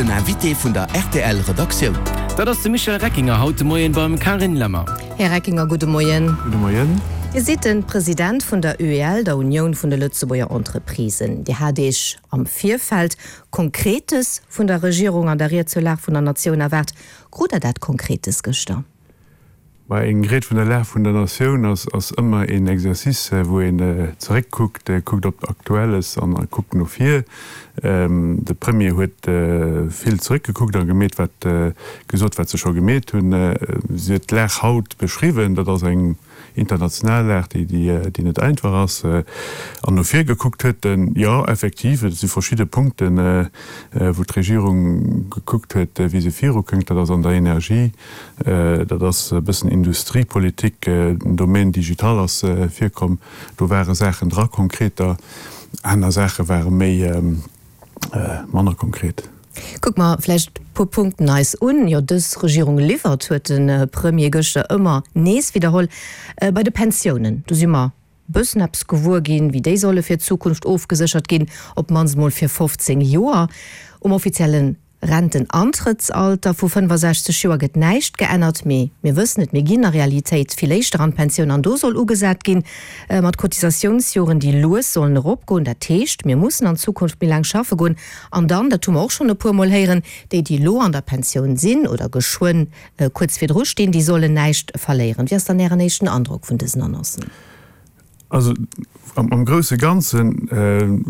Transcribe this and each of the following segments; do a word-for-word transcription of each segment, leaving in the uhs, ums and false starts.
Den Invité vun der rtl Redaktioun. Dat ass de Michel Reckinger haut de Moien beim Carine Lemmer. Här Reckinger, gudde Moien. Gudde Moien. Dir sidd de President vun der UEL, der Unioun vun de Lëtzebuerger Entreprisen. Dir hat Iech am Virfeld Konkretes vun der Regierung an der Ried zur Lag vun der Natioun erwaart. Krut Der dat Konkretes gëschter? Bah, eng Ried vun der Lag vun der Natioun ass, ass ëmmer een Exercice, wou een zeréckkuckt, kuckt op Aktuelles an kuckt no vir. De Premier huet vill zeréckgekuckt a gemeet wat, gesot wat se scho gemeet hunn. Si huet d'Lag haut beschriwwen, dat ass eng international Lag, déi, déi net einfach ass. An no vir gekuckt huet en, jo, effektiv, et si verschidde Punkten, wou d'Regierung gekuckt huet, wéi se virukënnt. Dat ass an der Energie, dat ass e bëssen Industriepolitik, den Domaine digital ass virkomm. Do ware Saachen dra, konkreter. Aner Saache ware méi, manner konkret. Kucke mer vläicht e puer Punkten eis un. Jo, dës Regierung liwwert, huet de Premier gëschter ëmmer nees widderholl. Bei de Pensiounen, do si mer e bëssen eppes gewuer ginn, wéi déi solle fir d'Zukunft ofgeséchert ginn, op d'mannst mol fir fofzéng Joer. Um offizielle Rentenantrëttsalter vu fënnefasechzeg Joer gëtt näischt geännert, mee mir wëssen et, mir ginn a Realitéit vill éischter an d'Pensioun an do soll ugesat ginn mat Cotisatiounsjoren, déi lues sollen eropgoen. Dat heescht, mir mussen an Zukunft méi laang schaffe goen. An dann, dat hu mer och schonn e puermol héieren, déi, déi elo an der Pensioun sinn oder geschwënn kuerz virdru stinn, déi sollen näischt verléieren. Wéi ass dann Ären éischten Androck vun dësen Annoncen? Also am grousse Ganze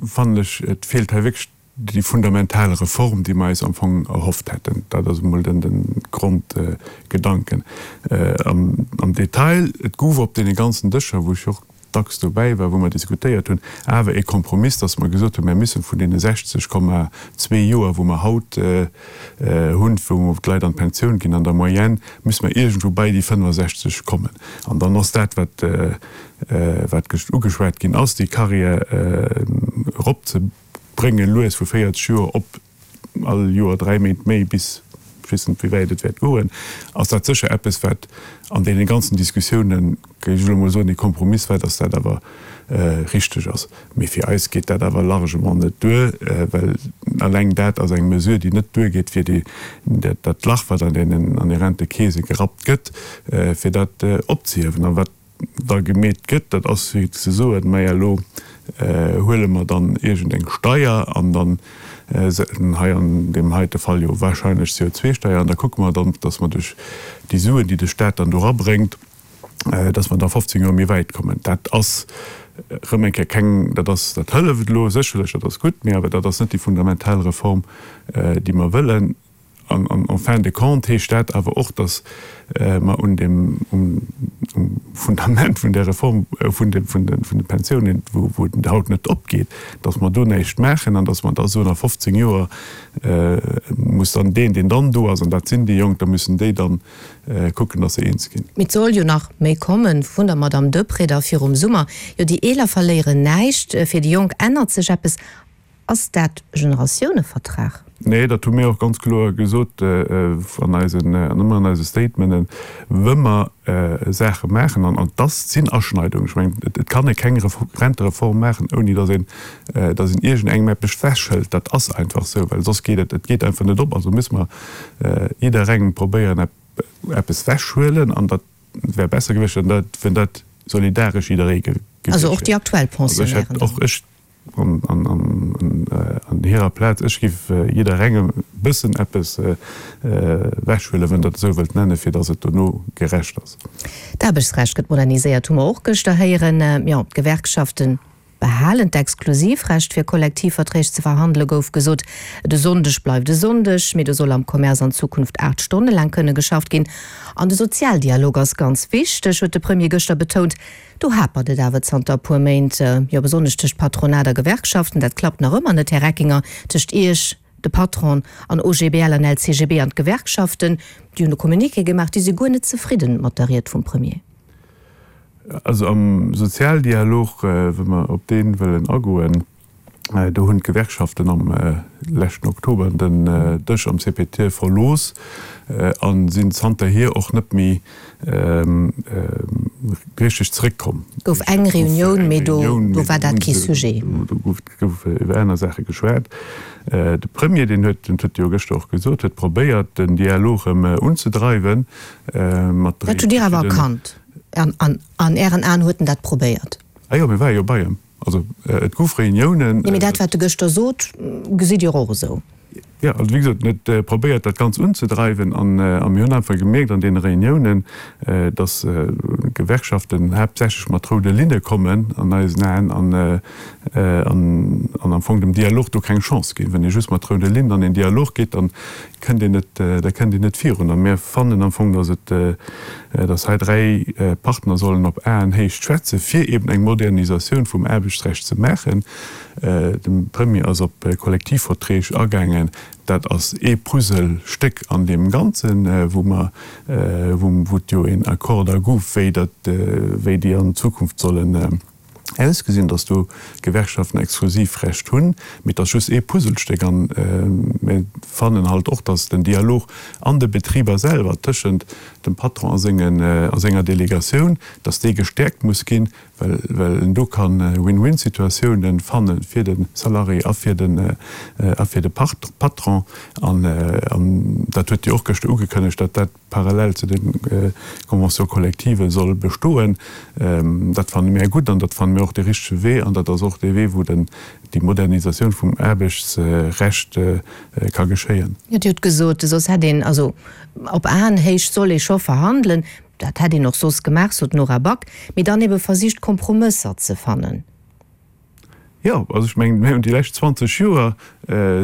fannen ech, et feelt hei wierklech déi fundamental Reform, déi mer eis am Fong erhofft hätten. Dat ass emol den Grondgedanken. Am Detail, et gouf op deene ganzen Dëscher, wou ech och dacks dobäi war, wou mer diskutéiert hunn, awer e Kompromiss, dass mer gesot hunn, mir müssen vun deene sechzeg Komma zwee Joer, wou mer haut hunn, wou d'Leit an d'Pensioun ginn, an der Moyenne, müsse mer iergendwou bei déi fënnefasechzeg kommen. An dann ass dat, wat wat ugeschwat ginn ass, déi Carrière eropzebréngen, lues vu véierzeg Joer op all Joer dräi Méint méi bis, ech weess net, wéi wäit et wäert goen, ass dat sécher eppes, wat an deene ganzen Diskussiounen, géif ech elo mol soen, ee Kompromiss war, dass dat awer richteg ass. Mee fir eis geet dat awer largement net duer, well eleng dat ass eng Mesure, déi net duergeet, fir déi, dat Lach, wat an deenen, an de Rentekeese gerappt gëtt, fir dat opzehiewen. A wat da gemeet gëtt, dat ass fir ze soen, Maja, elo huele mer dann iergendeng Steier an dann, hei an deem heite Fall jo wahrscheinlech d'C O zwei Steier, an da kucke mer dann, dass mer duerch déi Suen, déi de Stat dann do erabréngt, dass mer da fofzéng Joer méi wäit kommen. Dat ass erëm eng Kéier keng, dat ass, dat hëlleft elo sécherlech, dat ass gutt, mee awer dat ass net déi fundamental Reform, déi mer wëllen. An en fin de compte heescht dat awer och, dass mer un dem, um Fundament vun där Reform vun de, vun de, vun de Pensiounen, wou, wou et haut net opgeet, dass mer do näischt maachen an dass mer da soen, a fofzéng Joer muss dann deen, deen dann do ass, an dat sinn déi Jonk, da müssen déi dann kucken, dass se eens ginn. Mee et soll jo nach méi kommen vun der Madame Deprez da virum Summer. Jo, déi Eeler verléieren näischt, fir déi Jonk ännert sech eppes. Ass dat e Generatiounevertrag? Nee, dat hu mir och ganz kloer gesot an eisen, an ëmmer an eise Statementen, wa mer Saache maachen, an an dass sinn Aschneidungen, ech mengen, et kann ee keng Rentereform maachen, ouni dass een, dass een iergendengem eppes wechhëlt. Dat ass einfach esou, well soss geet et, et geet einfach net op. Also musse mer jidderengem probéieren, eppes wechhuelen, an dat wär besser gewiescht, wann dat, wann dat solidaresch jidderee gewiescht wär. Also och déi aktuell Pensionnairen dann? Also ech hätt och, ech An hirer Plaz, ech giff jidderengem e bëssen eppes ewechhuelen, wann Der et esou wëllt nennen, fir datt et dono gerecht ass. D'Aarbechtsrecht gëtt moderniséiert, hu mer och gëschter héieren. Jo, d'Gewerkschafte behalen d'Exklusivrecht, fir Kollektivverträg ze verhandelen, gouf gesot. De Sonndeg bleift e Sonndeg, mee do soll am Commerce an Zukunft aacht Stonne laang kënne geschafft ginn. An de Sozialdialog ass ganz wichteg, huet de Premier gëschter betount. Do hapert et awer zanter e puer Méint, jo besonnesch tëscht Patronat a Gewerkschaften. Dat klappt nach ëmmer net, Här Reckinger, tëscht Iech, de Patron, an O G B L an L C G B an d'Gewerkschaften. Déi hunn e Communiqué gemaach, déi si guer net zefridden mat der Ried vum Premier. Also am Sozialdialog, wa mer op dee wëllen agoen, do hunn d'Gewerkschaften am leschten Oktober den Dësch am C P T verlooss a sinn zanterhier och net méi richteg zeréckkomm. Gouf eng Reunioun, mee do war dat kee Sujet. Do gouf iwwer aner Saache geschwat. De Premier, deen huet, dat huet e jo gëschter och gesot, huet probéiert, den Dialog erëm unzedreiwen mat dräi. Dat hutt Dir awer erkannt. An Ären Aen huet en dat probéiert? Ah jo, mir ware jo bei em. Also et gouf Reuniounen. Jo, mee dat, wat e gëschter sot, gesitt Dir och esou? Jo, also wéi gesot, en huet probéiert, dat Ganz unzedreiwen. A mir hunn einfach gemierkt an deene Reuniounen, datt d'Gewerkschaften haaptsächlech mat roude Linne kommen an eisen Aen an am Fong dem Dialog do keng Chance ginn. Wann ee just mat roude Linnen an een Dialog geet, da kënnt een net, da kënnt een net virun. A mir fannen am Fong, datt et, datt hei dräi Partner sollen op Aenhéicht schwätzen, fir eben eng Modernisatioun vum Aarbechtsrecht ze maachen. De Premier ass op Kollektivverträg agaangen. Dat ass ee Puzzlestéck an deem Ganzen, wou mer, wou et jo een Accord da gouf, wéi dat, wéi déi an Zukunft sollen ausgesinn, datt do d'Gewerkschaften Exklusivrecht hunn. Mee et ass just ee Puzzlestéck. A mir fannen halt och, datt den Dialog an de Betriber selwer tëschent dem Patron a sengen, a senger Delegatioun, datt dee gestäerkt muss ginn, well, well en do ka Win-win-Situatiounen fanne fir de Salarié a fir den, a fir de Patron. An, an dat huet Dir och gëschter ugekënnegt, datt dat parallel zu de Conventions collectives soll bestoen. Dat fanne mir gutt an dat fanne mir och de richtege Wee an dat ass och dee Wee, wou den, déi Modernisatioun vum Aarbechtsrecht ka geschéien. Jo, Dir hutt gesot, soss hätt een, also op Aenhéicht soll ee scho verhandelen, dat hätt een och soss gemaach, sot d'Nora Back, mee dann ebe versicht Kompromësser ze fannen. Jo, also ech mengen, mir hunn déi lescht zwanzeg Joer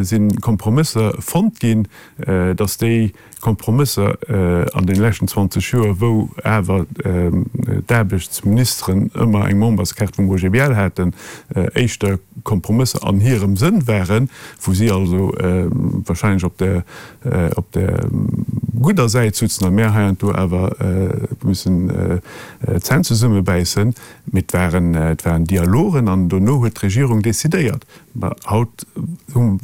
si Kompromësser fonnt ginn, datt déi Kompromësser an deene leschten zwanzeg Joer, wou awer d'Aarbechtsministeren ëmmer eng Memberskaart vum O G B L haten, éischter Kompromësser an hirem Sënn waren, wou si also wahrscheinlech op der op der gudder Säit sutzen a mär heiansdo awer mussen d'Zänn zesummebäissen. Mee et waren, et waren Dialogen an dono huet d'Regierung decidéiert. Mä haut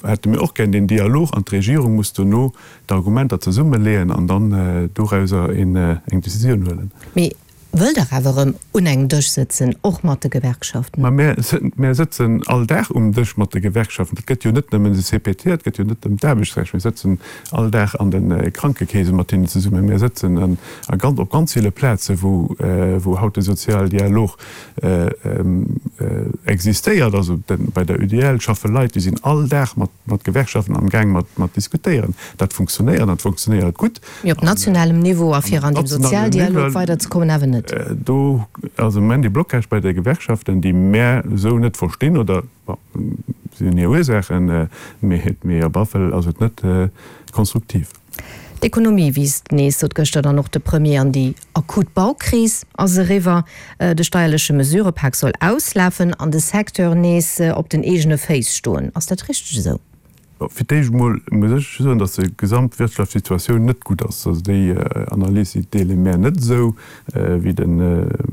hätte mir och gär deen Dialog an d'Regierung muss dono d'Argumenter zesummeleeën an dann dorauser eng Decisioun huelen. Mee wëllt Der awer erëm un engem Dësch sëtzen, och mat de Gewerkschaften? Mä mir sëtzen all Dag um Dësch mat de Gewerkschaften. Dat gëtt jo net nëmmen de C P T, dat gëtt jo net ëm d'Aarbechtsrecht. Mir sëtzen all Dag an de Krankekeese mat hinnen zesummen. Mir sëtzen a ganz, op ganz ville Plaze wou, wou haut de Sozialdialog existéiert. Also bei der U D L schaffe Leit, déi sinn all Dag mat, mat Gewerkschaften am Gaang mat, mat diskutéieren. Dat funktionéiert an dat funktionéiert gutt. Mee op nationalem Niveau a fir an dem Sozialdialog weiderzekommen awer net? Do ass am Moment ee Blocage bei de Gewerkschaften, déi mär esou net verstinn, oder bon, si hunn hir Ursaachen, mee, mee op alle Fall ass et net konstruktiv. D'Ekonomie wiisst nees, sot gëschter dann och de Premier, an déi akut Baukris ass eriwwer. De steierleche Mesurëpak soll auslafen an de Secteur nees op den eegene Féiss stoen. Ass dat richteg esou? Fir d'éischt emol muss ech soen, datt déi gesamtwirtschaftlech Situatioun net gutt ass. Also déi Analys, déi deele mär net esou, wéi de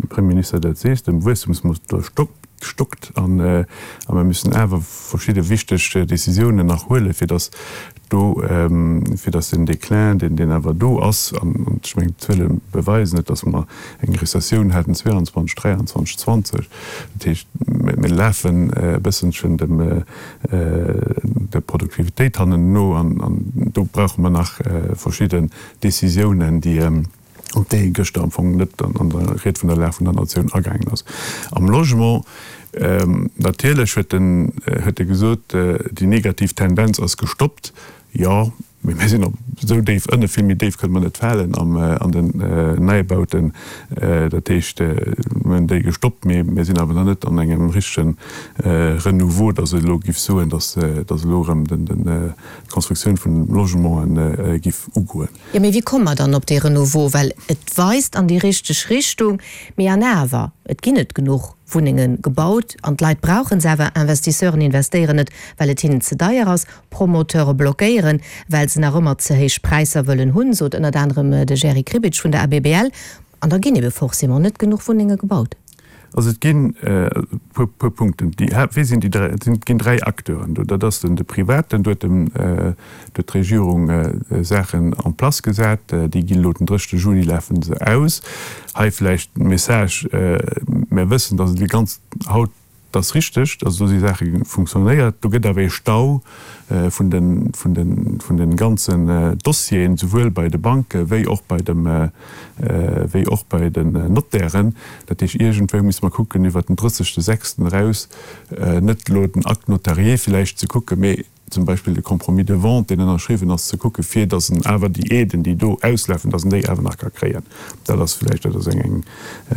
Premierminister dat seet. De Wuesstemsmotor stockt an a mir müssen awer verschidde wichteg Décisiounen nach huelen, fir datt do, fir datt den Déclin, deen deen awer do ass, an ech mengen d'Zuele beweisen et, datt mer eng Rezessioun haten zwee an zwanzeg, dräianzwanzeg, zwanzeg, dat heescht mir lafen e bësselchen dem der Produktivitéit hannenno an do brauche mer nach verschidden Décisiounen, déi op déi ee gëschter am Fong net an der Ried vun der Lag vun der Natioun agaangen ass. Am Logement, natierlech huet en huet e gesot, déi negativ Tendenz ass gestoppt. Jo, mee mir sinn op esou déif ënne, vill méi déif kënne mer net falen am an den Neibauten. Dat heescht, mir hunn déi gestoppt, mee mir sinn awer nach net an engem richtege Renouveau, datt ech elo giff soen, datt datt elo erëm den den d'Constructioun vun Logementen giff ugoen. Jo, mee wéi komme mer dann op dee Renouveau? Well et weist an déi richteg Richtung, mee an awer, et ginn net genuch Wunnenge gebaut an d'Leit brauche se awer. Investisseuren investéieren net, well et hinnen ze deier ass, Promoteure blockéieren, well se nach ëmmer ze héich Präisser wëllen hunn, sot ënnert anerem de Jerry Kribitsch vun der A B B L. An da ginn ebe forcément net genuch Wunnenge gebaut. Also et ginn e puer, puer Punkten. Déi, wie sinn déi dräi? Et sinn, ginn dräi Acteuren do. Dat ass den, de Privaten, do huet dem, do huet d'Regierung Saachen en place gesat. Déi ginn elo den drëschte Juli lafe se aus. Hei vläicht e Message, Mir wëssen, dass et déi ganz haut, Dat ass richteg, dass do si Saache funktionéiert. Do gëtt awer ee Stau vun de, vun de, vun de ganzen Dossieren, souwuel bei de Banke wéi och bei dem, wéi och bei den Notairen. Dat heescht, iergendwou musse mer kucken, iwwert den drëssegste sechsten eraus net elo den Acte notarié villäicht ze kucken, mee zum Beispill de Compromis de vente, deen ënnerschriwwen ass, ze kucken, fir datt en awer déi Aiden, déi do auslafen, datt en déi awer nach ka kréien. Dat ass vläicht, dat ass eng,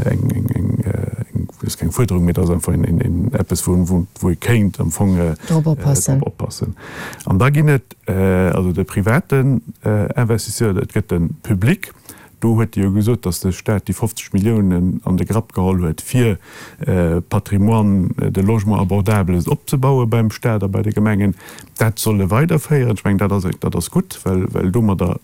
eng, eng, eng, eng, ass keng Fuerderung, mee dat ass einfach een, een, eppes, wou, wou, wou ee kéint am Fong drop oppassen. Drop oppassen. An da ginn et also de privaten Investisseur, et gëtt de Public. Do huet Dir jo gesot, datt de Stat déi fofzeg Milliounen an de Grapp geholl huet, fir Patrimoine de logement abordable opzebaue beim Stat a bei de Gemengen. Dat soll e weiderféieren. Ech mengen, dat ass, dat ass gutt, well, well domadder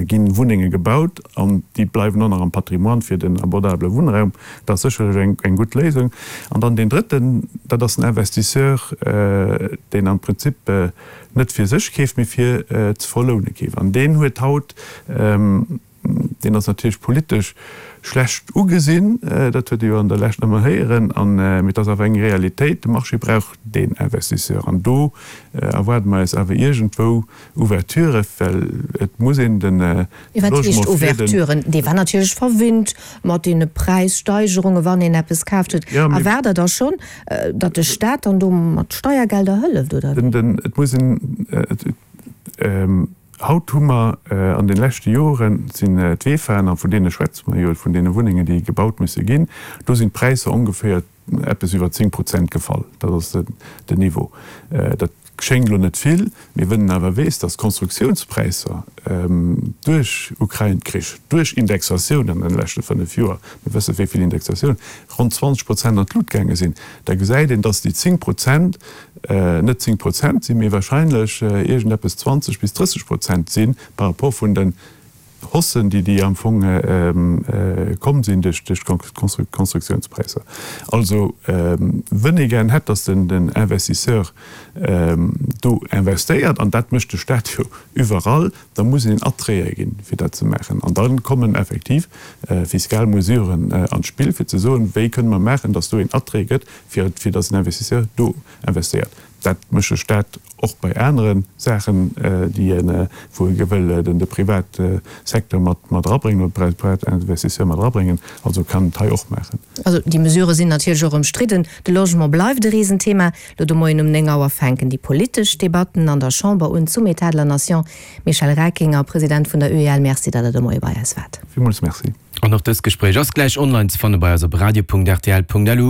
gi Wunnenge gebaut an déi bleiwen och nach am Patrimoine fir den abordabele Wunnraum. Dat ass sécherlech eng, eng gutt Léisung. An dann deen drëtten, dat ass den Investisseur, deen am Prinzip net fir sech keeft, mee fir ze verloune keeft. An deen huet haut, Deen ass natierlech politesch schlecht ugesinn, dat huet ee jo an der Lescht ëmmer héieren, an, mee et ass awer eng Realitéit, de Marché brauch deen Investisseur. An do erwaarde mer eis awer iergendwou Ouverturen, well et muss een de Mee wat heescht Logement fir den. Ouverturen? Dee war natierlech verwinnt mat deene Präissteigerungen, wann een eppes kaaft huet. Jo, mee. Erwaart Der da schonn, datt de Staat dann do mat Steiergelder hëlleft, oder wéi? Den, den, et muss een, et, Haut hu mer an de leschte Jore sinn d'Vefaen, a vun deene schwätze mer jo, vun deene Wunnengen, déi gebaut musse ginn, do sinn d'Präisser ongeféier eppes iwwer zéng Prozent gefall. Dat ass den Niveau. Dat schéngt elo net vill, mee wënn en awer weess, datt d'Konstruktiounspräisser duerch Ukrain-Krich, duerch Indexatioun an de leschte fënnef Joer, mir wësse wéi vill Indexatioun, ronn zwanzeg Prozent an d'Lut gaange sinn, da gesäit een, datt déi zéng Prozent net zéng Prozent sinn, mee wahrscheinlech iergendeppes zwanzeg bis drësseg Prozent si par rapport vun den Haussen, déi déi am Fong komm sinn duerch d'Konstruktiounspräisser. Also wënn ee gären hätt, datt den Investisseur do investéiert, an dat mécht de Stat jo iwwerall, da muss een Attraite ginn, fir dat ze maachen. An da kommen effektiv fiskal Mesuren an d'Spill, fir ze soen, wéi kënne mer maachen, datt do een Attrait gëtt, fir fir datt en Investisseur do investéiert. Dat mécht de Stat och bei anere Saachen, déi en, wou e wëll den de Privatsecteur mat mat erabréngen oder de Privatinvestisseur mat erabréngen. Also kann en et hei och maachen. Also déi Mesurë sinn natierlech och ëmstridden. De Logement bleift e Risenthema. Lo de Moien um néng Auer fänken déi politesch Debatten an der Chamber un zum État de la Nation. Michel Reckinger, President vun der U E L, Merci, datt Der de Moie bei eis waart. Villmools Merci. An och dëst Gespréich ass gläich online ze fanne bei eis op radio Punkt rtl Punkt lu.